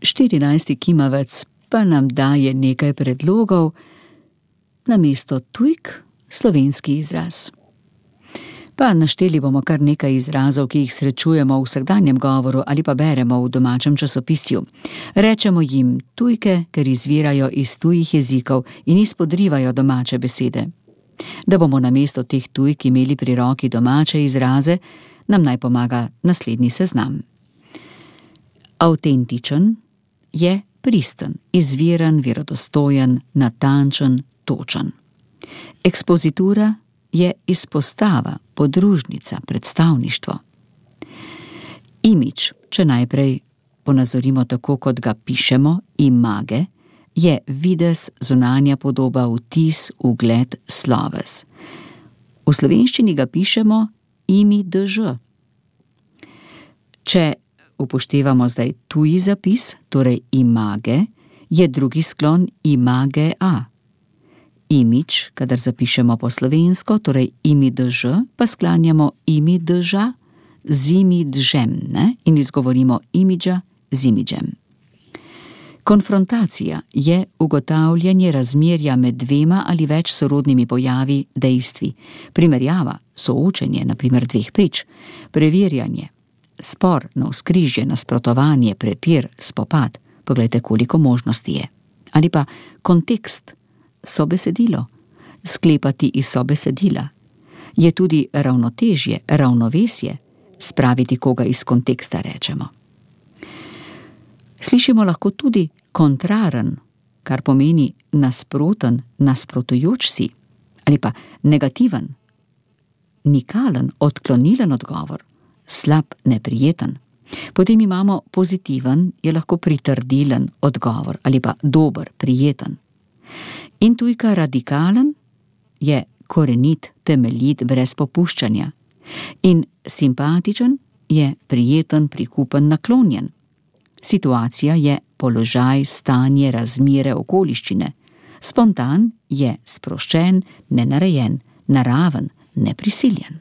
14. kimavec pa nam daje nekaj predlogov, namesto tujk slovenski izraz. Pa našteli bomo kar nekaj izrazov, ki jih srečujemo v vsakdanjem govoru ali pa beremo v domačem časopisju. Rečemo jim tujke, ker izvirajo iz tujih jezikov in izpodrivajo domače besede. Da bomo namesto teh tujk imeli pri roki domače izraze, nam naj pomaga naslednji seznam. Avtentičen je pristen, izviren, verodostojen, natančen, točen. Ekspozitura je izpostava, podružnica, predstavništvo. Imidž, če najprej ponazorimo tako, kot ga pišemo, image, je videz, zunanja podoba, vtis, ugled, sloves. V slovenščini ga pišemo imidž. Če upoštevamo zdaj tuji zapis, torej image, je drugi sklon imagea. Imidž, kadar zapišemo po slovensko, torej imidž, pa sklanjamo imidža z imidžem, in izgovorimo imidža z imidžem. Konfrontacija je ugotavljanje razmerja med dvema ali več sorodnimi pojavi, dejstvi, primerjava, soočenje, na primer dveh prič, preverjanje, spor, navzkrižje, nasprotovanje, prepir, spopad, poglejte, koliko možnosti je. Ali pa kontekst, sobesedilo, sklepati iz sobesedila. Je tudi ravnotežje, ravnovesje, spraviti koga iz konteksta, rečemo. Slišimo lahko tudi kontraren, kar pomeni nasproten, nasprotujoč si, ali pa negativen, nikalen, odklonilen odgovor, slab, neprijeten. Potem imamo pozitiven, je lahko pritrdilen odgovor, ali pa dober, prijeten. In tujka radikalen je korenit, temeljit, brez popuščanja. In simpatičen je prijeten, prikupen, naklonjen. Situacija je položaj, stanje, razmere, okoliščine. Spontan je sproščen, nenarejen, naraven, neprisiljen.